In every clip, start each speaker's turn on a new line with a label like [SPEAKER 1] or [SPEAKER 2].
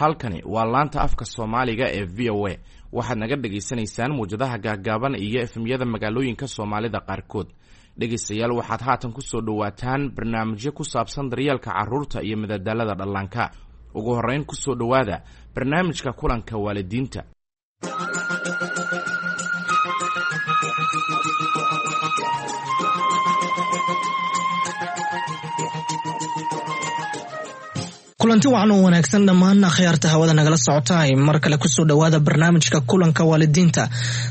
[SPEAKER 1] Halkani waa laanta afka Soomaaliga ee VOA. Waxaad naga dhagaysanaysaan muwjadaha gaagaaban iyo FM-yada magaalooyinka Soomaalida qaarkood. Dhegaystayaal, waxaad haatan kusoo dhowaataan barnaamijyo ku saabsan daryeelka carruurta iyo madadaalada dhallaanka. Ugu horreyn, kusoo dhowaada barnaamijka kulanka waalidiinta.
[SPEAKER 2] Kulanti wacan oo wanaagsan dhammaan akhyaarta hawada nagala socotaay, mar kale kusoo dhowaada barnaamijka kulanka waalidiinta.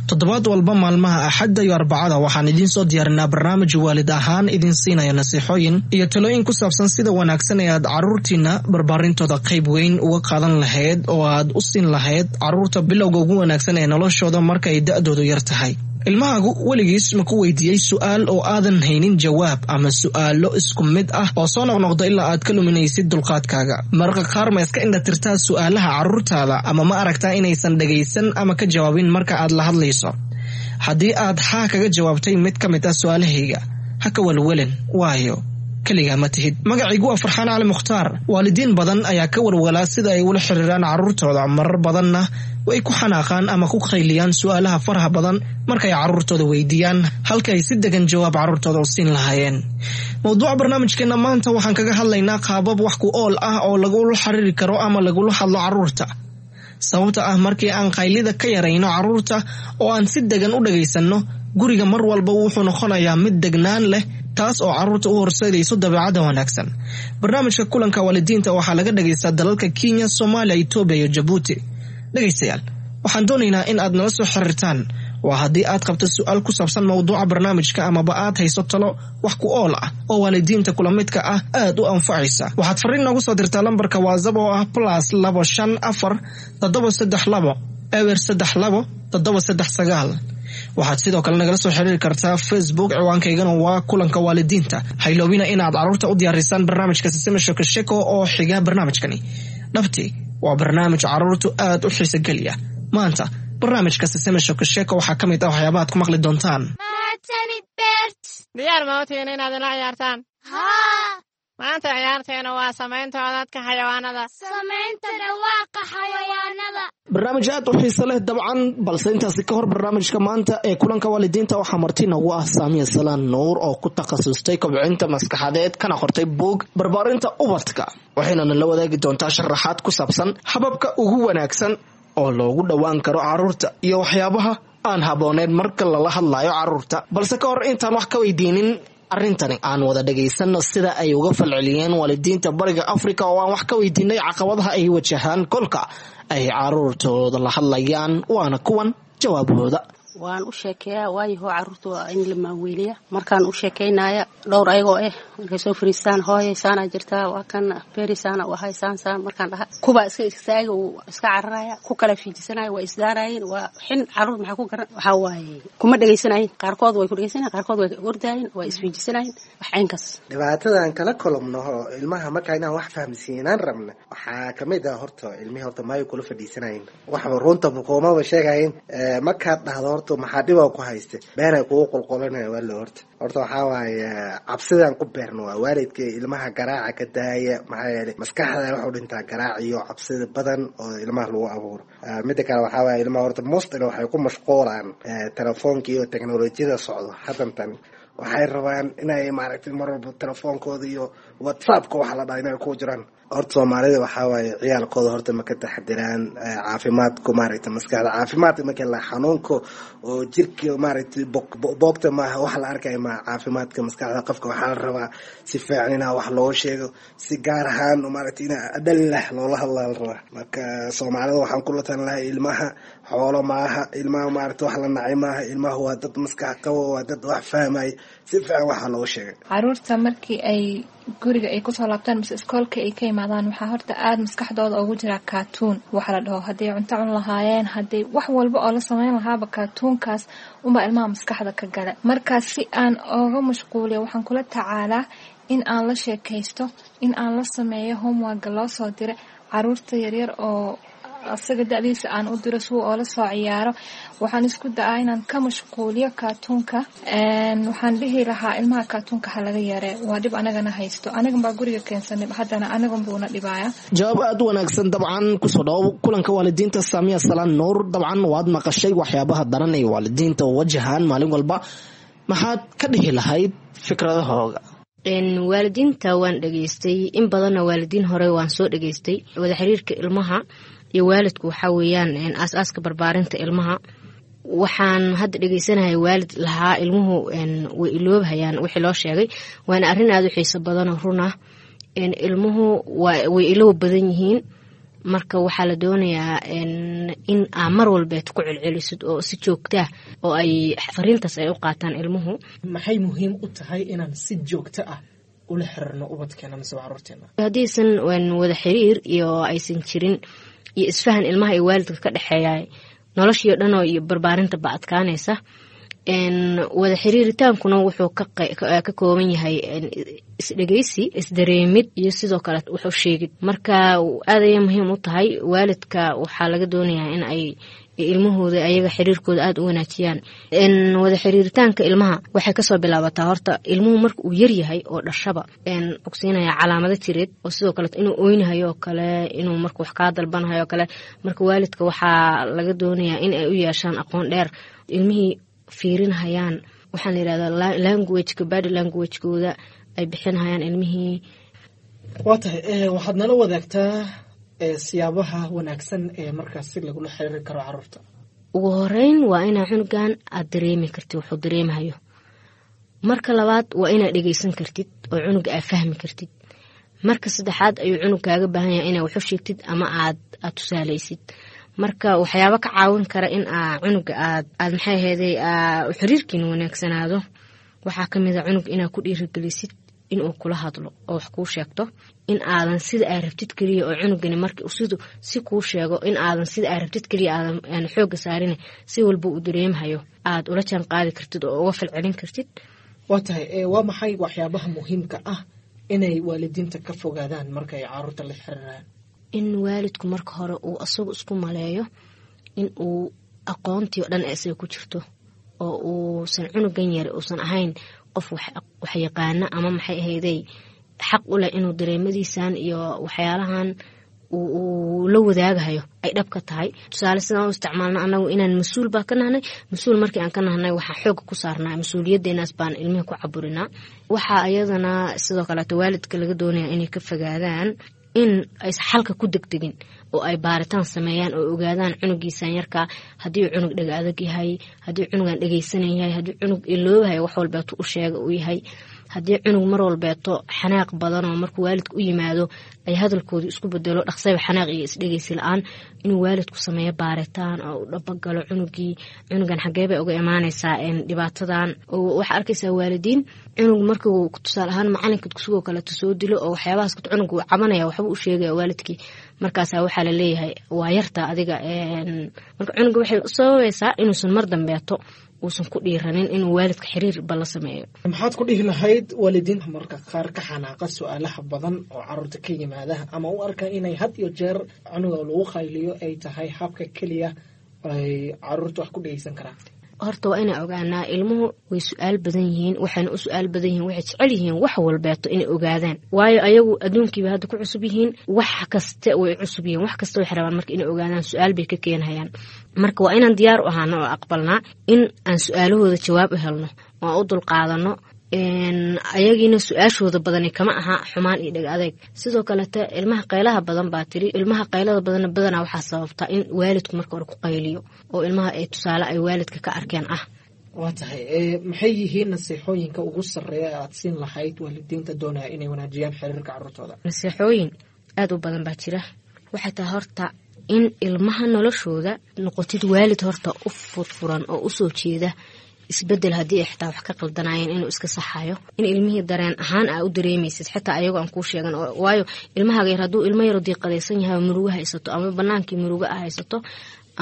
[SPEAKER 2] Toddobaad walba maalmaha Axadda iyo Arbacada waxaan idiin soo diyaarinaa barnaamij waalid ahaan idin siinaya nasiixooyin iyo talooyin ku saabsan sida wanaagsan ee aad caruurtiina barbaarintooda qayb weyn uga qaadan lahayd oo aad u siin lahayd caruurta bilowga ugu wanaagsan ee noloshooda marka ay da-doodu yar tahay. Ilmahaagu weligiis ma ku weydiiyey su-aal oo aadan haynin jawaab, ama su-aalo isku mid ah oo soo noqnoqda ilaa aad ka luminaysid dulqaadkaaga? Mararka qaar ma iska indhatirtaa su-aalaha carruurtaada, ama ma aragtaa inaysan dhagaysan ama ka jawaabin marka aad la hadlayso? Haddii aad haa kaga jawaabtay mid ka mid ah su-aalahayga, ha ka welwelin, waayo keligaa ma tihid. Magacaygu waa Farxaan Cali Mukhtaar. Waalidiin badan ayaa ka walwalaa sida ay ula xiriiraan carruurtooda, marar badanna way ku xanaaqaan ama ku qayliyaan su-aalaha faraha badan markay carruurtooda weydiiyaan, halka ay si degan jawaab carruurtooda u siin lahaayeen. Mowduuca barnaamijkeena maanta waxaan kaga hadlaynaa qaabab wax ku ool ah oo lagula xiriiri karo ama lagula hadlo carruurta. Sababta ah, markii aan qaylida ka yarayno carruurta oo aan si degan u dhagaysanno, guriga mar walba wuxuu noqonayaa mid degnaan leh, taas oo carruurta u horseedayso dabeecadda wanaagsan. Barnaamijka kulanka waalidiinta waxaa laga dhagaystaa dalalka Kenya, Soomaaliya, Etoobiya iyo Jabuuti. Dhegaystayaal, waxaan doonaynaa in aad nala soo xiriirtaan. Waa haddii aad qabto su-aal ku saabsan mowduuca barnaamijka, amaba aad hayso talo wax ku ool ah oo waalidiinta kula midka ah aad u anfacaysa. Waxaad fariin noogu soo dirtaa lambarka WhatsApp oo ah +254 732 032 739. Waxaad sidoo kale nagala soo xiriiri kartaa Facebook, ciwaankaygana waa kulanka waalidiinta. Hayloobina inaad carruurta u diyaarisaan barnaamijka Siseme Shekesheko oo xiga barnaamijkani. Dhabti waa barnaamij carruurtu aad u xiiso geliya. Maanta barnaamijka Siseme Shekesheko waxaa ka mid ah waxyaabaha ad ku maqli doontaan.
[SPEAKER 3] Diyaar ma utihiin inaad ila ciyaartaan? Maanta ciyaarteena waa samaynta codadka xayawaanada.
[SPEAKER 4] Samaynta dhawaaqa xayawaanada.
[SPEAKER 2] Barnaamij aad u xiiso leh dabcan, balse intaasi ka hor, barnaamijka maanta ee kulanka waalidiinta waxaa marti noogu ah Saamiya Salaan Nuur oo ku takhasustay kobcinta maskaxadeed, kana qortay buug barbaarinta ubadka, waxayna nala wadaagi doontaa sharaxaad ku saabsan hababka ugu wanaagsan oo loogu dhowaan karo carruurta iyo waxyaabaha aan habbooneyn marka lala hadlayo carruurta. Balse ka hor intaan wax ka weydiinin arrintani, aan wada dhagaysanno sida ay uga falceliyeen waalidiinta Bariga Afrika oo aan wax ka weydiinay caqabadaha ay wajahaan kolka ay caruurtooda la hadlayaan. Waana kuwan jawaabahooda.
[SPEAKER 5] Waan u sheekeeyaa, waayaho caruurta waa in la maaweeliya. Markaan u sheekaynaya dhowr ayagoo ah, markay soo fariistaan, "Hooyay, saanaa jirtaa, waa kan beri, saana u ahay, saan saan," markaan dhaha, kuwaa iska istaaga, uu iska cararaya, ku kala fiijisanaya, waa isdaaraayeen. Waa xin caruur, maxaa ku garan? Waxaa waaye kuma dhegaysanayin. Qaarkood way ku dhegaysanayen, qaarkood way ordaayen, waa isfiijisanayen, wax caynkaas.
[SPEAKER 6] Dhibaatadan kala kolomno ilmaha markaa inaan wax fahamsiinaan rabna waxaa kamid ah, horta ilmihii horta maayo kula fadhiisanayin, waxba runta kumaba sheegayin. Markaad dhahdo, "Horta maxaa dhibaa ku haysta?" beenay kugu qolqolanaya. Waalo horta waxaa waaye cabsidaan ku beerno waa waalidka ilmaha garaaca ka daaya, maxaa yeelay maskaxda waxu dhintaa garaac iyo cabsida badan oo ilmaha lagu abuuro. Mida kale waxaa waaye ilmaha horta mostly waxay ku mashquulaan telefoonka iyo teknolojiyada socdo haddantan. Waxay rabaan inay maaragtay mar walba telefoonkooda iyo WhatsAppka waxa la dhaha inay ku jiraan. Horta Soomaalida waxaa waaye ciyaalkooda horta ma ka taxadiraan caafimaadku, maaragtay maskaxda caafimaadka. Marka la xanuunka oo jirka, maaragtay, boogta maaha wax la arkaya maaha. Caafimaadka maskaxda qofka waxaa la rabaa si fiican inaa wax loo sheego, si gaar ahaan, maaragtay, inaa adhallah loola hadlaa la rabaa. Marka Soomaalida waxaan kula talin lahaa, ilmaha xoolo maaha, ilmaha, maaragtay, wax la nacay maaha. Ilmaha waa dad maskax qabo, waa dad wax fahmaya, si fiican waxaa loo sheegay.
[SPEAKER 7] Caruurta markii ay guriga ay kusoo laabtaan mise iskoolka ay ka imaadaan, waxaa horta aada maskaxdooda ugu jiraa cartoon waxa la dhaho. Hadday cunto cun lahaayeen, hadday wax walba oo la sameyn lahaaba, cartoonkaas unbaa ilmaha maskaxda ka gala. Markaas si aan ooga mashquuliyo, waxaan kula tacaalaa in aan la sheekaysto, in aan la sameeyo homeworka loo soo diray. Caruurta yaryar oo asaga da-diisa aan u diro si uu oola soo ciyaaro. Waxaan isku da-aa inaan ka mashquuliyo kaatuunka. Waxaan dhihi lahaa ilmaha kaatuunka ha laga yaree, waa dhib anagana haysto, anagan baa guriga keensanay, haddana anagan buuna dhibaaya.
[SPEAKER 2] Jawaab aada u wanaagsan. Dabcan kusoo dhawo kulanka waalidiinta, Saamiya Salaan Nuur. Dabcan waad maqashay waxyaabaha daran ay waalidiinta wajahaan maalin walba, maxaad ka dhihi lahayd fikradahooga?
[SPEAKER 8] Waalidiinta waan dhegeystay in badanna, waalidiin hore waan soo dhegeystay. Wada xiriirka ilmaha iyo waalidku waxaa weeyaan aas-aaska barbaarinta ilmaha. Waxaan hadda dhegeysanahay waalid lahaa ilmuhu way iloobhayaan wixii loo sheegay, waana arrin aada u xiiso badanoo run ah. Ilmuhu way iloob badan yihiin, marka waxaa la doonayaa in aa mar walbeed ku celcelisid oo si joogtaa oo ay fariintaas ay u qaataan ilmuhu.
[SPEAKER 2] Maxay muhiim u tahay inaan si joogto ah ula xiriirno ubadkeena mise caruurteena?
[SPEAKER 8] Haddiisan wada xiriir iyo aysan jirin iyo isfahan ilmaha iyo waalidka ka dhexeeya, noloshii o dhan oo iyo barbaarinta ba adkaanaysa. Wada xiriiritaankuna wuxuu ka kooban yahay isdhegeysi, isdareemid iyo sidoo kale wuxuu sheegid. Marka aad ayay muhiim u tahay. Waalidka waxaa laga doonayaa in ay ilmahooda ayaga xiriirkooda aada u wanaajiyaan. Wada xiriiritaanka ilmaha waxay kasoo bilaabataa horta ilmuhu marka uu yaryahay oo dhashaba ogsiinaya calaamado jireed, oo sidoo kale inuu oynahayo oo kale, inuu marka wax kaa dalbanahayo oo kale. Marka waalidka waxaa laga doonayaa in ay u yeeshaan aqoon dheer, ilmihii fiirinhayaan, waxaan la yihahdaa languageka, body languagekooda ay bixinhayaan ilmihii.
[SPEAKER 2] Waa tahay, waxaad nala wadaagtaa siyaabaha wanaagsan ee markaas si lagula xiriiri karo caruurta.
[SPEAKER 8] Ugu horeyn waa inaa cunugan aad dareemi kartid wuxuu dareemahayo. Marka labaad waa inaad dhegeysan kartid oo cunuga aad fahmi kartid. Marka saddexaad ayuu cunug kaaga baahan yahay inaad waxu sheegtid ama aad tusaaleysid. Marka waxyaabo ka caawin kara in aa cunuga aad aad maxay ahayday xiriirkiina wanaagsanaado waxaa kamid a cunug inaad ku dhiirigelisid inuu kula hadlo oo wax kuu sheegto, in aadan sida aa rabtid keliya oo cunugani marka sidu si kuu sheego in aadan sida aa rabtid keliya aadan xooga saarin, si walba uu dareemahayo aad ula jaan qaadi kartid oo uga falcelin kartid.
[SPEAKER 2] Waa tahay, waa maxay waxyaabaha muhiimka ah inay waalidiinta ka fogaadaan marka ay caruurta la xiriiraan?
[SPEAKER 8] In waalidku marka hore uu asagu isku maleeyo in uu aqoontii o dhan isaga ku jirto, oo uusan cunugan yar uusan ahayn qof wax yaqaana ama maxay ahayday xaq u leh inuu dareemadiisan iyo waxyaalahan uu la wadaagahayo ay dhab ka tahay. Tusaale, sidaan u isticmaalno anagu inaan mas-uul baa ka nahnay. Mas-uul markii aan ka nahnay waxaa xooga ku saarnaa mas-uuliyadeenaas baan ilmihi ku caburinaa. Waxaa iyadana sidoo kaleeto waalidka laga doonaya inay ka fogaadaan in aysan xalka ku degdegin oo ay baaritaan sameeyaan oo ogaadaan cunugiisan yarkaa haddii uu cunug dhega adag yahay, haddii cunugan dhegeysanan yahay, haddii cunug iloobahay wax walbeeto u sheega uu yahay, haddii cunug mar walbeeto xanaaq badanoo markuu waalidka u yimaado ay hadalkoodu isku bedelo dhaqsayba xanaaq iyo isdhegeysi la-aan, inuu waalidku sameeyo baaritaan oo u dhabagalo cunugii, cunugan xagee bay uga imaaneysaa dhibaatadan. Waxaa arkaysaa waalidiin cunug markuu tusaale ahaan macalinka dugsigoo kaleeto soo dilo oo waxyaabahaas cunug uu cabanaya, waxba u sheegaya waalidkii, markaasaa waxaa laleeyahay waa yarta adiga. Marka cunuga waxay sababaysaa inuusan mar dambeeto uusan ku dhiiranin inuu waalidka xiriir ba la sameeyo.
[SPEAKER 2] Maxaad ku dhihi lahayd waalidiinta marka qaar ka xanaaqa su-aalaha badan oo caruurta ka yimaada, ama u arka inay had iyo jeer cunuga lagu qayliyo ay tahay habka keliya ay caruurta wax ku dhegeysan karaan?
[SPEAKER 8] Horta waa inaa ogaanaa ilmuhu way su-aal badan yihiin, waxayna u su-aal badan yihiin waxay jecel yihiin wax walbeeto inay ogaadaan, waayo ayagu adduunkiiba hadda ku cusub yihiin, wax kaste way cusub yihiin, wax kasta waxay rabaan marka inay ogaadaan, su-aal bay ka keenhayaan. Marka waa inaan diyaar u ahaano oo aqbalnaa in aan su-aalahooda jawaab u helno oo aan u dulqaadano. Ayagiina su-aashooda badani kama aha xumaan iyo dheg adeeg. Sidoo kalete ilmaha qaylaha badan baa tiri, ilmaha qaylada badanna badanaa waxaa sababtaa in waalidku marka hore ku qayliyo oo ilmaha ay tusaale ay waalidka ka arkeen ah.
[SPEAKER 2] Waa tahay, maxay yihiin nasiixooyinka ugu sarreeya ee aad siin lahayd waalidiinta doonaya inay wanaajiyaan xiriirka caruurtooda?
[SPEAKER 8] Nasiixooyin aada u badan baa jira. Waxay tahay horta in ilmaha noloshooda noqotid waalid horta u furfuran oo usoo jeeda isbedel, haddii ay xitaa wax ka qaldanaayeen inuu iska saxayo, in ilmihii dareen ahaan aa u dareemaysid xitaa ayagoo aan kuu sheegan. Waayo ilmahaaga yar hadduu ilmo yaro diiqadaysan yahay oo murugo haysato, ama banaankii murugo a haysato,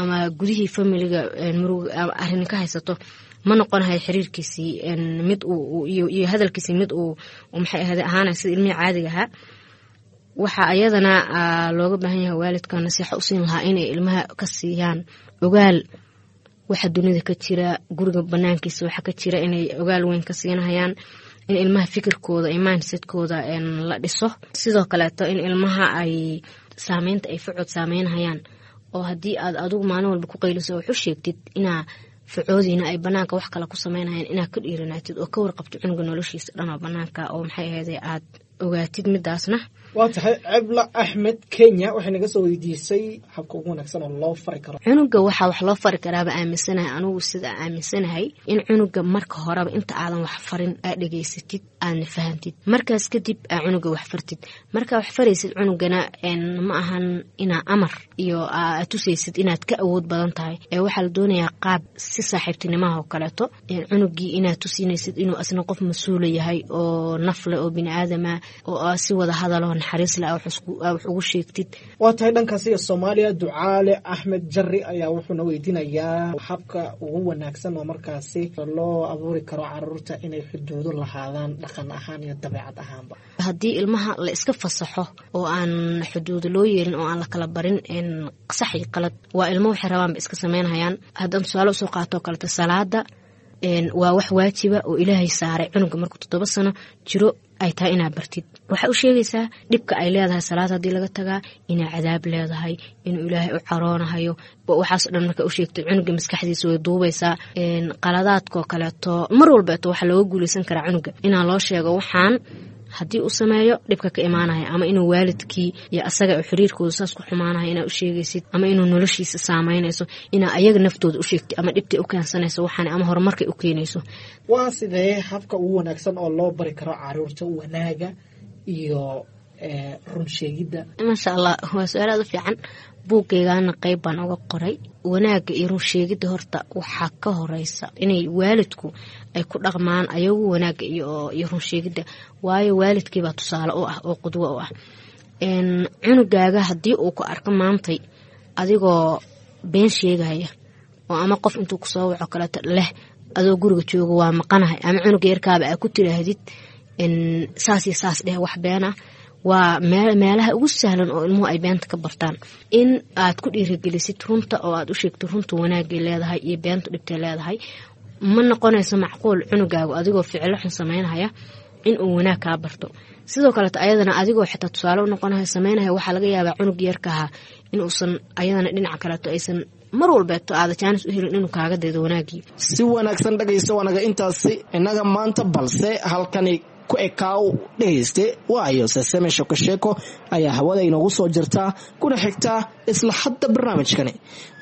[SPEAKER 8] ama gudihii familiga murugo arrin ka haysato, ma noqonahay xiriirkiisii mid iyo hadalkiisii mid uu maxay ahade ahaanay sida ilmihii caadiga ahaa. Waxaa ayadana looga baahan yahay waalidka nasiixa u siin lahaa inay ilmaha ka siiyaan ogaal waxa dunida ka jira, guriga banaankiisa waxa ka jira, inay ogaal weyn ka siinahayaan, in ilmaha fikirkooda iyo mindsetkooda la dhiso. Sidoo kaleeto in ilmaha ay saameynta ay facod saameynahayaan, oo haddii aad adigu maalin walba ku qayliso wax u sheegtid inaa facoodiina ay banaanka wax kale ku sameynayaan, inaad ka dhiiranaatid oo ka warqabto cunuga noloshiisa dhan oo banaanka oo maxay ahayde aad ogaatid midaasna.
[SPEAKER 2] Waa tahay. Cebla Axmed Kenya waxay naga soo weydiisay habka ugu wanaagsan oo loo fari karo.
[SPEAKER 8] Cunuga waxaa wax loo fari karaaba aaminsanahay anugu, sida aaminsanahay, in cunuga marka horeba inta aadan wax farin aad dhegaysatid, aadna fahantid, markaas kadib aa cunuga wax fartid. Markaa wax faraysid cunugana ma ahan inaa amar iyo aad tusaysid inaad ka awood badan tahay, ee waxaa la doonayaa qaab si saaxiibtinimaha oo kaleeto cunugii inaad tusinaysid inuu asna qof mas-uula yahay oo nafle oo bini aadama, oo si wada hadalo naxariis leh wax ugu sheegtid.
[SPEAKER 2] Waa tahay. Dhankaas iyo Soomaaliya, Ducaale Axmed Jari ayaa wuxuuna weydiinayaa habka ugu wanaagsan oo markaasi loo abuuri karo caruurta inay xuduudo lahaadaan dhaqan ahaan iyo dabeecad ahaanba.
[SPEAKER 8] Haddii ilmaha la iska fasaxo oo aan xuduudo loo yeelin oo aan la kala barin sax iyo qalad, waa ilmo waxay rabaanba iska sameynhayaan. Haddaan tusaale usoo qaato oo kaleeto, salaada waa wax waajiba oo Ilaahay saaray cunuga markuu 7 sano jiro ay tahay inaad bartid. Waxaa u sheegaysaa dhibka ay leedahay salaad haddii laga tagaa, inay cadaab leedahay, inuu Ilaahay u caroonahayo. Waxaas dhan markaa u sheegtay cunuga, maskaxdiisa way duubaysaa. Qaladaadkoo kaleeto mar walbeeto waxaa looga guuleysan karaa cunuga inaa loo sheego waxaan haddii uu sameeyo dhibka ka imaanaya, ama inuu waalidkii iyo asaga xiriirkooda saas ku xumaanaya inaa u sheegaysid, ama inuu noloshiisa saameynayso, inaa ayaga naftooda u sheegtid, ama dhibtay u keensanayso waxaan ama horumarkay u keenayso.
[SPEAKER 2] Waa sidee habka ugu wanaagsan oo loo bari karo caruurta wanaaga iyo run sheegidda?
[SPEAKER 8] Maasha Allah, waa su-aal aad u fiican. Buuggeygana qeyb baan uga qoray wanaagga iyo run sheegidda. Horta waxaa ka horeysa inay waalidku ay ku dhaqmaan ayagu wanaagga iyo run sheegidda, waayo waalidkiibaa tusaale u ah oo qudwo u ah cunugaaga. Haddii uu ku arko maantay adigoo been sheegaya, oo ama qof intuu kusoo waco kaleeto leh adoo guriga jooga waa maqanahay, ama cunuga yarkaaba aa ku tiraahdid saas iyo saas dheh, wax been ah, waa meelaha ugu sahlan oo ilmuhu ay beenta ka bartaan. In aad ku dhiirigelisid runta oo aad u sheegto runta wanaagay leedahay iyo beentu dhibtay leedahay. Ma noqonayso macquul cunugaagu adigoo ficilo xun sameynhaya in uu wanaag kaa barto. Sidoo kaleeto ayadana adigoo xitaa tusaale u noqonaya sameynaya, waxaa laga yaabaa cunug yarkaha inuusan ayadana dhinaca kaleeto aysan mar walbeeto aada jaanis u helin inuu kaaga daydo wanaagii.
[SPEAKER 2] Si wanaagsan dhagayso, wanaga intaasi innaga maanta, balse halkani ku ekaaw dhegayste, waayo Seseme Shekosheeko ayaa hawada inoogu soo jirtaa kuna xigtaa isla hadda barnaamijkani.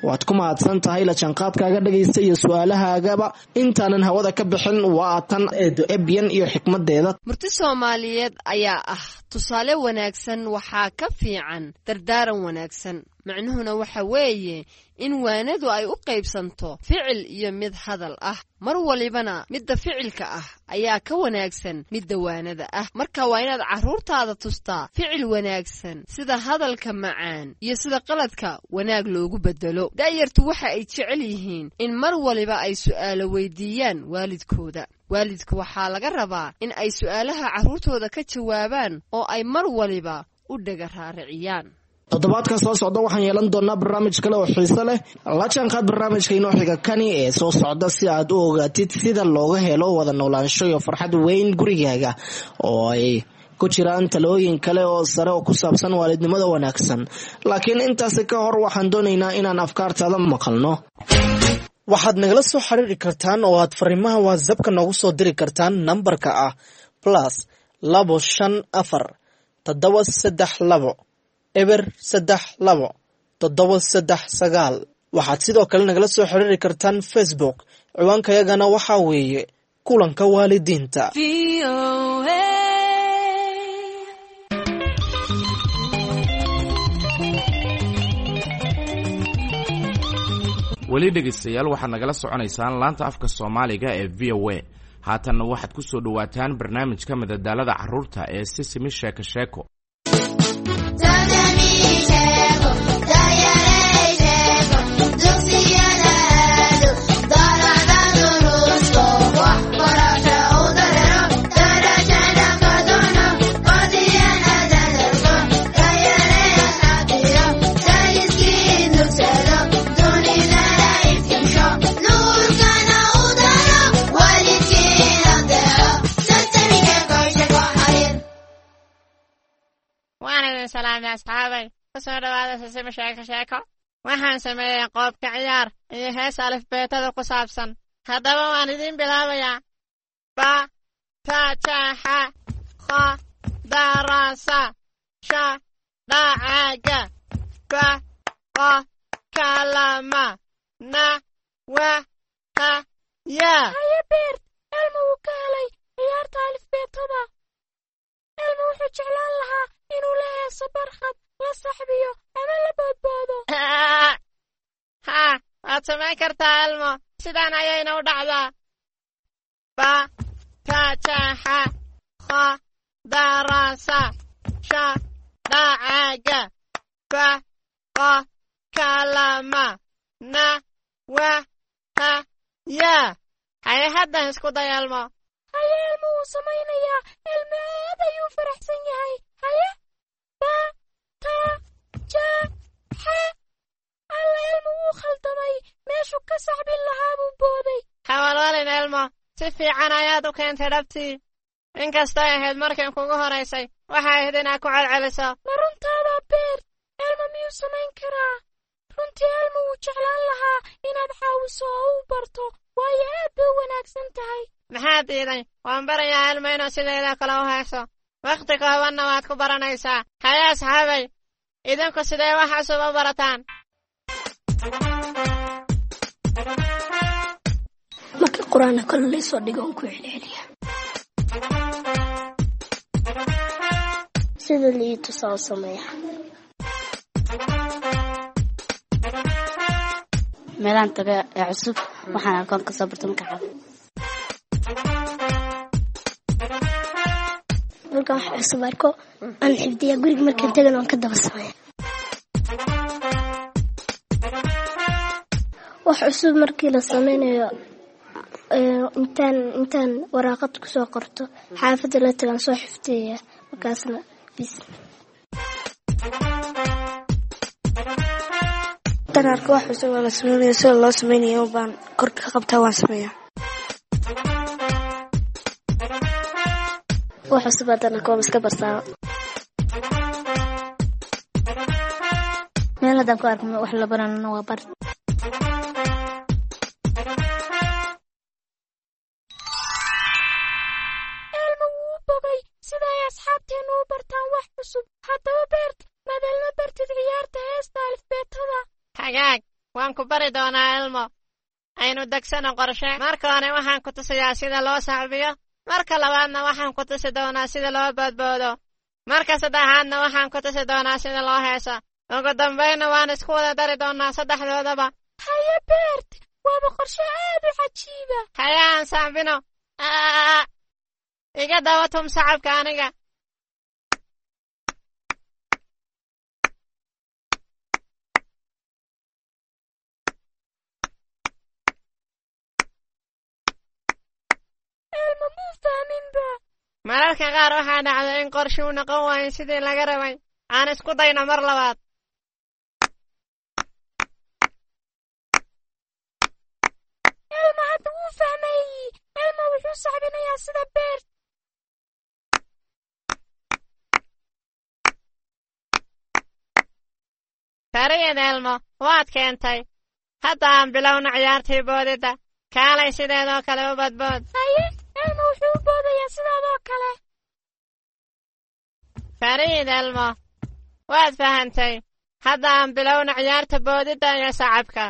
[SPEAKER 2] Waad ku mahadsan tahay la jaanqaadkaaga dhagaysta iyo su-aalahaagaba. Intaanan hawada ka bixin, waa tan Eedo Ebyan iyo xikmadeeda.
[SPEAKER 9] Murti Soomaaliyeed ayaa ah: tusaale wanaagsan waxaa ka fiican dardaaran wanaagsan. Macnuhuna waxa weeye in waanadu ay u qaybsanto ficil iyo mid hadal ah, mar walibana midda ficilka ah ayaa ka wanaagsan midda waanada ah. Marka waa inaad carruurtaada tustaa ficil wanaagsan, sida hadalka macaan iyo sida qaladka wanaag loogu bedelo. Da'yartu waxa ay jecel yihiin in mar waliba ay su'aalo weydiiyaan waalidkooda. Waalidku waxaa laga rabaa in ay su'aalaha carruurtooda ka jawaabaan oo ay mar waliba u dhaga raariciyaan.
[SPEAKER 2] Toddobaadka soo socda waxaan yeelan doonaa barnaamij kale oo xiiso leh. La jaanqaad barnaamijka inoo xiga kani ee soo socda si aad u ogaatid sida looga helo wada noolaansho iyo farxad weyn gurigaaga, oo ay ku jiraan talooyin kale oo sare oo ku saabsan waalidnimada wanaagsan. Laakiin intaasi ka hor waxaan doonaynaa inaan afkaartaada maqalno. Waxaad nagala soo xiriiri kartaan oo aad fariimaha WhatsAppka noogu soo diri kartaan nambarka ah +254 732 032 739. Waxaad sidoo kale nagala soo xiriiri kartaan Facebook, ciwaankayagana waxaa weeye Kulanka Waalidiinta.
[SPEAKER 1] Weli dhegaystayaal, waxaad nagala soconaysaan laanta afka Soomaaliga ee VOA. Haatanna waxaad ku soo dhowaataan barnaamijka madadaalada carruurta ee Sisimi Sheeko Sheeko.
[SPEAKER 3] idin salaamay asxaabay. Ku soo dhowaada Sisimo Sheeko Sheeko. Waxaan sameeyey qoobka ciyaar iyo hees alifbeetada ku saabsan. Haddaba waan idiin bilaabayaa. Ba, ta, ja, xa, kha, da, ra, sa, sha, dha, ca, ga, ba, qa, ka, la, ma, na, wa, ha, ya.
[SPEAKER 4] Haye Beert, Elmo wuu ka helay ciyaarta alifbeetada. Elmo wuxuu jeclaan lahaa inuu la heeso Barkhad, la saxbiyo ama la boodboodo.
[SPEAKER 3] Haa, waad samayn kartaa Elmo. Sidaan ayayna u dhacdaa. Ba, ta, ja, xa, kha, da, ra, sa, sha, dha, ca, ga, ba, qa, ka, la, ma, na, wa, ha, ya. Haye haddan isku day Elmo.
[SPEAKER 4] Haye, Elmo wuu samaynayaa. Elmo aad ayuu faraxsan yahay. Haye, ba, ta, ja, xa. Alla, Elmo wuu khaldamay. Meeshuu ka sacbin lahaa buu booday.
[SPEAKER 3] Hawalwalin Elmo, si fiican ayaad u keentay dhabtii. Inkastay ahayd markan kugu horaysay, waxay ahayd inaad ku celceliso.
[SPEAKER 4] Ma runtaadaa Beert? Elmo miyuu samayn karaa? Runtii Elmo wuu jeclaan lahaa inaad caawiso oo u barto, waayo aad bay u wanaagsan tahay.
[SPEAKER 3] Maxaa diiday? Waan barayaa Elmo inuu sideeda kale u heeso. Wakhti koobanna waad ku baranaysaa. Haye asxaabay, idinku sidee wax cusub u barataan?
[SPEAKER 10] Marka qur-aanka kale laysoo dhigo on ku celceliya. Sida lii tusaa u sameeya.
[SPEAKER 8] Meelaan taga ee cusub waxaan arkoon kasoo barto marka cab.
[SPEAKER 10] Markaan wax cusub arko aan xifdiya, guriga markaan tagana waan ka daba sameeya. Wax cusub markii la sameynayo intaan waraaqad kusoo qorto xaafadda la tagaan soo xifdiyaya, markaasna bis.
[SPEAKER 11] Intaan arko wax cusub oo la sameynayo, sida loo sameynayo baan korka ka qabtaa, waan sameeyaa.
[SPEAKER 10] Wax cusub haddaan arko waan iska bartaa. Meel haddaan ku arko wax la baranana waa bar.
[SPEAKER 4] Elmo wuu u bogay sida ay asxaabteennu u bartaan wax cusub. Haddaba Beert, maad Elmo bartid ciyaarta heesta alifbeetada?
[SPEAKER 3] Hagaag, waan ku bari doonaa Elmo. Aynu degsano qorshe. Marka hore waxaan ku tusayaa sida loo sacbiyo. Marka labaadna waxaan ku tusi doonaa sida loo boodboodo. Marka saddexaadna waxaan ku tusi doonaa sida loo heeso. Ugu dambaynna waan isku wada dari doonaa saddexdoodaba.
[SPEAKER 4] Haye Beert, waaba qorshe aad u cajiiba.
[SPEAKER 3] Haye aan sacbino. Aa, iga daba tum sacabka aniga.
[SPEAKER 4] Elmo muu fahminba.
[SPEAKER 3] Mararka qaar waxaa dhacda in qorshuu noqon waayo sidii laga rabay. Aan isku dayno mar labaad.
[SPEAKER 4] Elmo hadda wuu fahmay. Elmo wuxuu sacbinayaa sida Beert.
[SPEAKER 3] Fariyad Elmo, waad keentay. Hadda aan bilowno ciyaartii boodidda. Kaalay sideedoo kale u badbood.
[SPEAKER 4] Haye, Elmo wuxuu u boodayaa sidaadoo kale.
[SPEAKER 3] Fariid Elmo, waad fahantay. Hadda aan bilowno ciyaarta boodidda iyo sacabka.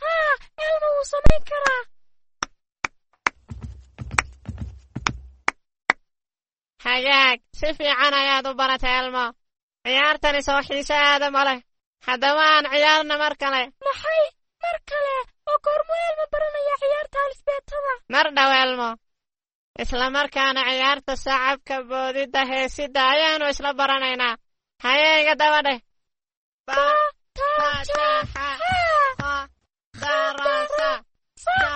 [SPEAKER 4] Haa, Elmo wuu samayn karaa.
[SPEAKER 3] Hagaag, si fiican ayaad u baratay Elmo. Ciyaartani soo xiise aada ma leh. Haddaba aan ciyaarna mar kale.
[SPEAKER 4] Maxay? Mar kale? Oo goormuu Elmo baranayaa ciyaarta alifbeetada?
[SPEAKER 3] Mar dhow Elmo. Isla markaana ciyaarta sacabka, boodidda, heesidda ayaanu isla baranaynaa. Haye iga daba dheh. Ba,
[SPEAKER 4] Ta,
[SPEAKER 3] ta,
[SPEAKER 4] ja,
[SPEAKER 3] ja, xa,
[SPEAKER 4] xa,
[SPEAKER 3] kha, da, ra, sa,
[SPEAKER 4] sa.
[SPEAKER 3] sha.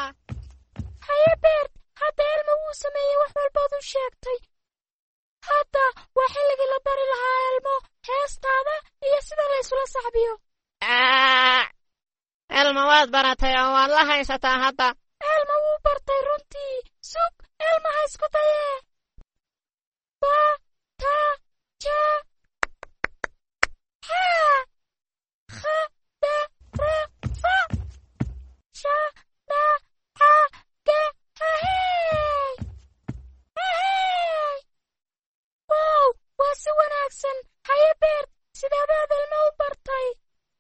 [SPEAKER 4] Haye Beert, hadda Elmo wuu sameeyey wax walbaad u sheegtay. Hadda waa xilligii la bari lahaa Elmo heestaada iyo sida la isula sacbiyo.
[SPEAKER 3] Aa. Elmo waad baratay oo waad la haysataa hadda.
[SPEAKER 4] Elmo wuu bartay runtii. Sug, Elmo ha isku dayee. Ba, ta, ja, xa, kha, da, ra, fa, sha, na, xa, ga, hahey. Hahey. Wow, waa si wanaagsan. Haye Beert, sideebaad Elmo u bartay?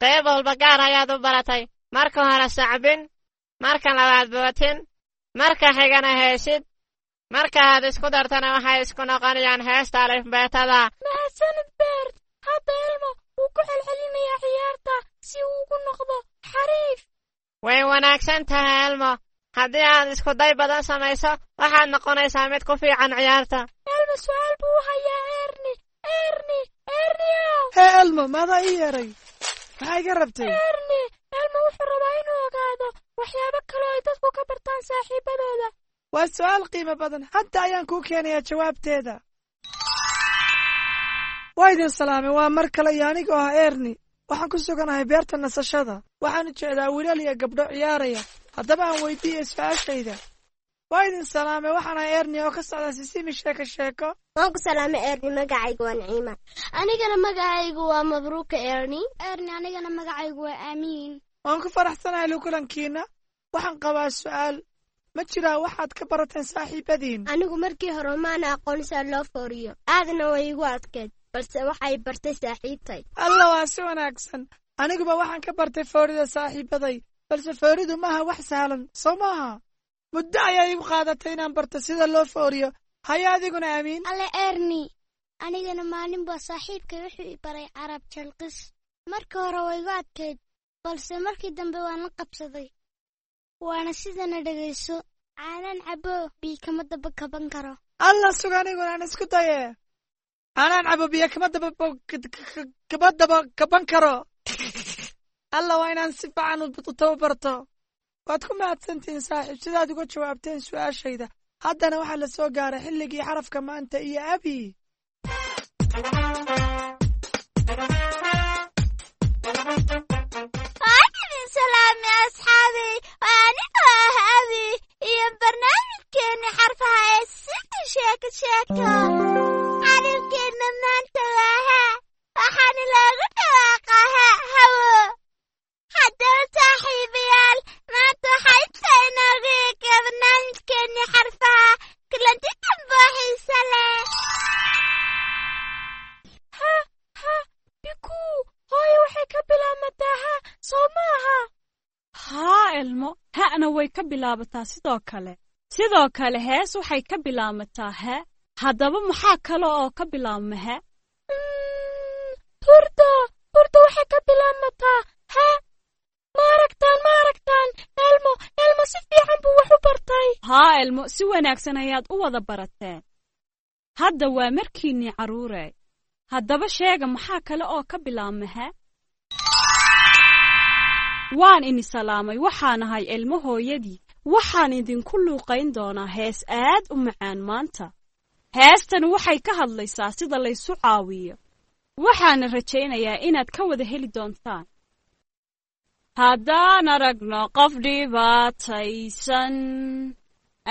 [SPEAKER 3] Qayb walba gaar ayaad u baratay. Marka hore sacbin, marka labaad bootin, marka xigana heesid. Marka aad isku dartana waxay isku noqonayaan heesta alifbeetada.
[SPEAKER 4] Mahadsanid Beert. Hadda Elmo wuu ku celcelinayaa ciyaarta si uu ugu noqdo xariif.
[SPEAKER 3] Way wanaagsan tahay Elmo. Haddii aad isku day badan samayso, waxaad noqonaysaa mid ku fiican ciyaarta.
[SPEAKER 4] Elmo su'aal buu u hayaa Erni. Erni, Erniyow.
[SPEAKER 12] Hee Elmo, maadaa ii yeeray? Maxaa iga rabtay?
[SPEAKER 4] Erni, Elmo wuxuu rabaa inuu ogaado waxyaabo kale oo ay dadku ka bartaan saaxiibadooda.
[SPEAKER 12] Waa su'aal qiimo badan. Hadda ayaan kuu keenayaa jawaabteeda. Waa idin salaamay, waa mar kale iyo anigoo ah Erni. Waxaan ku suganahay beerta nasashada. Waxaan jeedaa wiilal iyo gabdho ciyaaraya. Haddaba aan weydiiyey su'aashayda. Waa idin salaamay, waxaan ahay Erni oo ka socda Sisimi Sheeko Sheeko.
[SPEAKER 10] Waan ku salaamay Erni, magacaygu waa Naciima. Anigana magacaygu waa Mabruuka Erni. Erni, anigana magacaygu waa Aamiin.
[SPEAKER 12] Waan ku faraxsanahay lukulankiina. Waxaan qabaa su'aal. Ma jiraa waxaad ka barateen saaxiibadiin?
[SPEAKER 10] Anigu markii hore maana aqoon sida loo fooriyo. Aadna way igu adkeyd, balse waxay bartay saaxiibtay.
[SPEAKER 12] Alla, waa si wanaagsan. Aniguba waxaan ka bartay foorida saaxiibaday, balse fooridu maaha wax sahlan, soo maaha? Muddo ayaa igu qaadatay inaan barto sida loo fooriyo. Haya adiguna Aamiin.
[SPEAKER 10] Alle Erni, anigana maalin baa saaxiibkay wuxuu i baray carab jalqis. Markii hore way igu adkeyd, balse markii dambe waan la qabsaday. Waana sidana dhegayso. Caanaan cabo biyo kama daba kaban karo.
[SPEAKER 12] Alla, suga aniguna aan isku daye. Caanaan cabo biyo kama daba kama daba kaban karo. Alla, waa inaan si fiican u tababarto. Waad ku mahadsantihiin saaxiib sidaad uga jawaabteen su'aashayda. Haddana waxaa la soo gaaray xilligii xarafka maanta iyo Abi.
[SPEAKER 4] Waan idin salaamay asxaabey. Waa anigoo ah Abi iyo barnaamijkeeni xarfaha ee Siti Sheeko Sheeko. Xarafkeenna maanta waa ha, waxaana loogu dhawaaqaa ha hawo. Haddaba saaxiibayaal, maanta waxaa intaa inoogu eega barnaamijkeeni xarfaha. Kulanti dambe oo xiiso leh. Ha, ha, bikuu. Hooyo, waxay ka bilaabmataa ha, soo maaha?
[SPEAKER 13] Haa Elmo, ha'na way ka bilaabataa sidoo kale. Sidoo kale hees waxay ka bilaabmataa ha. Haddaba maxaa kale oo ka bilaabma ha?
[SPEAKER 4] Hurdo, hurdo waxay ka bilaabmataa ha. Ma aragtaan, ma aragtaan? Elmo, Elmo si fiican buu wax u bartay.
[SPEAKER 13] Haa Elmo, si wanaagsan ayaad u wada barateen. Hadda waa markiinnii carruurey. Haddaba sheega maxaa kale oo ka bilaabma ha? Waan ini salaamay, waxaan ahay Elmo hooyadii. Waxaan idinku luuqayn doonaa hees aad u macaan maanta. Heestan waxay ka hadlaysaa sida laysu caawiyo. Waxaana rajaynayaa inaad ka wada heli doontaan. Haddaan aragno qof dhibaataysan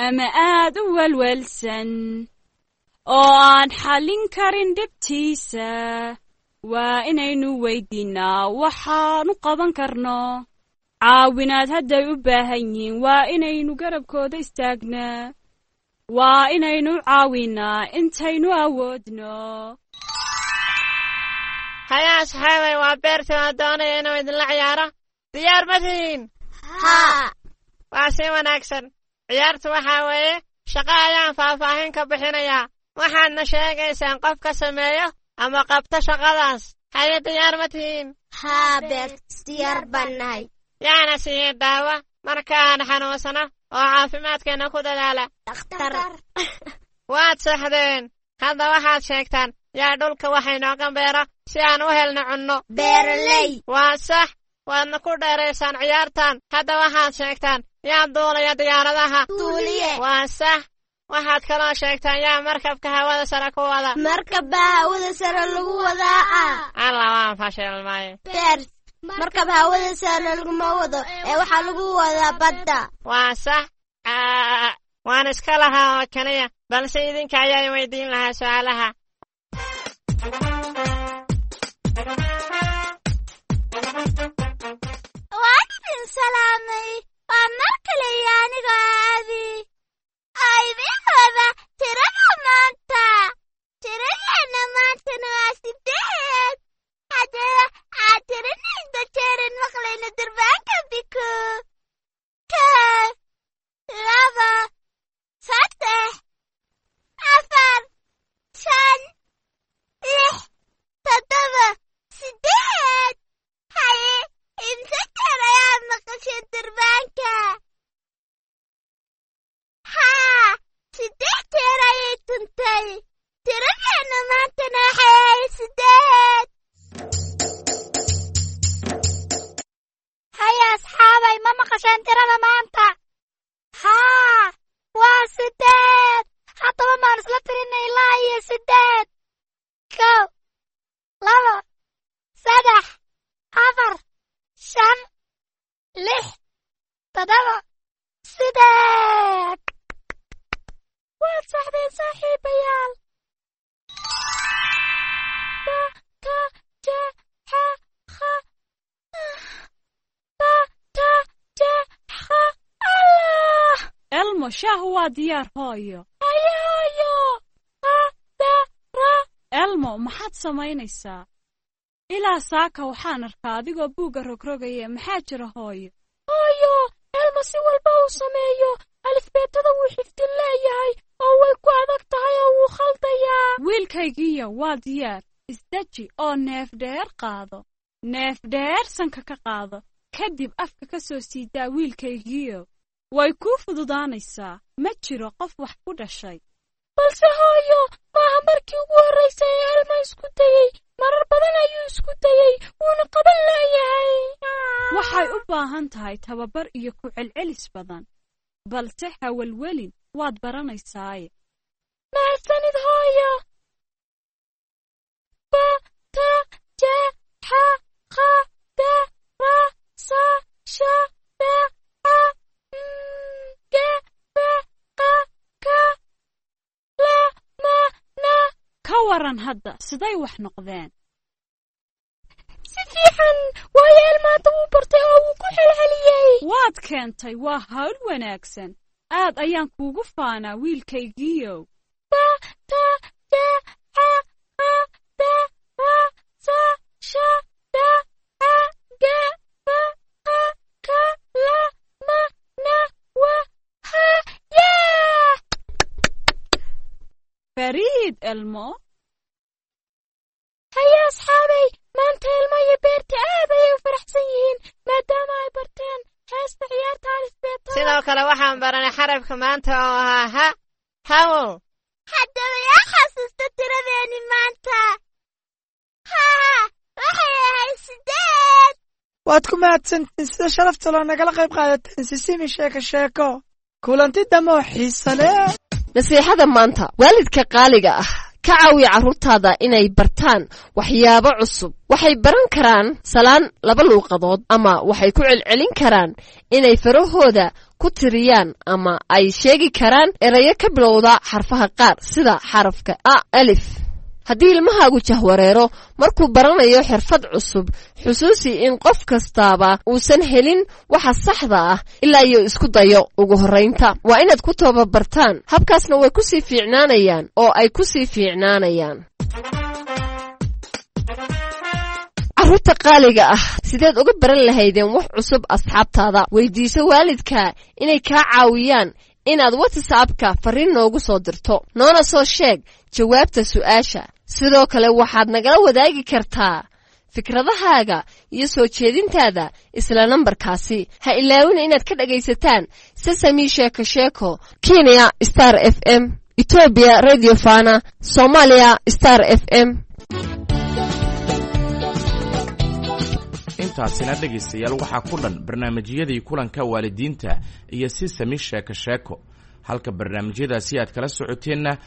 [SPEAKER 13] ama aad u welwelsan oo aan xallin karin dhibtiisa, waa inaynu weydiinnaa waxaanu qaban karno. Caawinaad hadday u baahan yihiin waa inaynu garabkooda istaagnaa. Waa inaynu caawinnaa intaynu awoodno.
[SPEAKER 3] Haya asxaabay, waa Beerti oo doonaya inuu idinla ciyaaro. Diyaar ma tihiin?
[SPEAKER 10] Haa.
[SPEAKER 3] Waa si wanaagsan. Ciyaartu waxaa weeye shaqo ayaan faahfaahin ka bixinayaa. Waxaadna sheegaysaan qof ka sameeyo ama qabto shaqadaas. Haye, diyaar ma tihiin?
[SPEAKER 10] Haa Beert, diyaar baan nahay.
[SPEAKER 3] Yaana siiye daawo markaan xanuunsano oo caafimaadkeenna ku dadaala?
[SPEAKER 10] Dhakhtar.
[SPEAKER 3] Waad saxdeen. Hadda waxaad sheegtaan yaa dhulka wax inooga beera si aan u helno cunno?
[SPEAKER 10] Beeraley.
[SPEAKER 3] Waa sax. Waadna ku dheeraysaan ciyaartan. Hadda waxaad sheegtaan yaa duulaya diyaaradaha?
[SPEAKER 10] Duuliye.
[SPEAKER 3] Waa sax. Waxaad kaloo sheegtaan yaa markabka hawada sare ku wada?
[SPEAKER 10] Markab baa hawada sare lagu wadaa.
[SPEAKER 3] Alla, waan fashilmay.
[SPEAKER 10] Beert, Markab hawada saara laguma wado ee waxaa lagu wadaa badda.
[SPEAKER 3] Waa sax, waan iska lahaa oo keliya, balse idinka ayaa weydiin lahaa su'aalaha.
[SPEAKER 10] Waan idin salaamay. Waa mar kale iyo anigoo Aabi oo idiin wada tirada maanta. Tiradeenna maantana waa 8. Haddaba aad tirinayda jeeran maqlayno durbaanka biku. 1, 2, 3, 4, 5, 6, 7, 8. Haye, imse jeer ayaad maqashay durbaanka? Haa, 8 jeer ayay tuntay. Tiradeenna maantana waxay ahayd 8.
[SPEAKER 4] Haya asxaabay, ma maqasheen tirada maanta? Haa, waa 8. Haddaba maan isla tirinay ilaa iyo 8. 1, 2, 3, 4, 5, 6, 7, 8. Waad saxdeen saaxiibayaal. Ba, ta, ja, xa, kha. Ba, ta, ja, xa. Allah!
[SPEAKER 13] Elmo, shaahu waa diyaar hooyo.
[SPEAKER 4] Haye hooyo. Qa, da, ra.
[SPEAKER 13] Elmo, maxaad samaynaysaa? Ilaa saaka waxaan arkaa adigoo buugga rogrogaya. Maxaa jira hooyo?
[SPEAKER 4] Hooyo, Elmo si walba uu sameeyo alifbeetada wuu xifdin leeyahay oo way ku adag tahay oo wuu khaldayaa.
[SPEAKER 13] Wiilkaygiiyo waa diyaar. Isdeji oo neef dheer qaado. Neef dheer sanka ka qaado. Kadib afka ka soo siidaa wiilkaygiiyo. Way kuu fududaanaysaa. Ma jiro qof wax ku dhashay.
[SPEAKER 4] Balse hooyo, maaha markii ugu horraysay ee Elmo isku dayey. Marar badan ayuu isku dayey, wuuna qaban leeyahay.
[SPEAKER 13] Waxay u baahan tahay tababar iyo ku celcelis badan. Balse hawalwelin, waad baranaysaaye.
[SPEAKER 4] Mahadsanid hooyo. Ba, ta, ja, xa, qa, da, ra, sa, sha, da, a, m, ge, ba, qa, ka, la, ma, na.
[SPEAKER 13] Ka waran hadda, siday wax noqdeen?
[SPEAKER 4] Si fiican, waayo Elmo hadda wuu bartay oo wuu ku celceliyey.
[SPEAKER 13] Waad keentay, waa hawl wanaagsan. Aad ayaan kuugu faanaa wiilkaygiiyow.
[SPEAKER 4] Ba, ta, ja, xa, qa, da, ra, sa, sha, da, a, ge, ba, qa, ka, la, ma, na, wa, ha, yaa!
[SPEAKER 13] Fariid Elmo.
[SPEAKER 4] Haye asxaabay, maanta Elmo iyo Beerti aad ayay u faraxsan yihiin maadaama ay barteen heesta ciyaarta alifbeetada.
[SPEAKER 3] Sidoo kale waxaan baranay xarafka maanta oo ahaa ha, hawo.
[SPEAKER 10] Haddaba yaa xasuusta tiradeeni maanta? Haa, waxay ahayd 8.
[SPEAKER 12] Waad ku mahadsantihiin sida sharafta loo nagala qayb qaadateen Sisimi Sheeko Sheeko. Kulanti dambe oo xiiso leh.
[SPEAKER 9] Nasiixada maanta: waalidka qaaliga ah, ka caawiya carruurtaada inay bartaan waxyaabo cusub. Waxay baran karaan salaan laba luuqadood, ama waxay ku celcelin karaan inay farahooda ku tiriyaan, ama ay sheegi karaan erayo ka bilowda xarfaha qaar sida xarafka a, alif. Haddii ilmahaagu jahwareero markuu baranayo xirfad cusub, xusuusi in qof kastaaba uusan helin waxa saxda ah ilaa iyo isku dayo. Ugu horraynta waa inaad ku tababartaan habkaasna, way ku sii fiicnaanayaan oo ay ku sii fiicnaanayaan. Carruurta qaaliga ah, sideed uga baran lahaydeen wax cusub asxaabtaada? Weydiiso waalidka inay kaa caawiyaan inaad WhatsAppka farriin noogu soo dirto, noona soo sheeg jawaabta su'aasha. Sidoo kale waxaad nagala wadaagi kartaa fikradahaaga iyo soo jeedintaada isla nambarkaasi. Ha ilaawina inaad ka dhagaysataan Sesami Sheeko Sheeko Kenya Star FM, Etoobiya Radio Fana, Soomaaliya Star FM.
[SPEAKER 1] Intaasina dhegaystayaal waxaa ku dhan barnaamijyadii kulanka waalidiinta iyo Sisami Sheeko Sheeko. Halka barnaamijyadaasi aad kala socoteenna.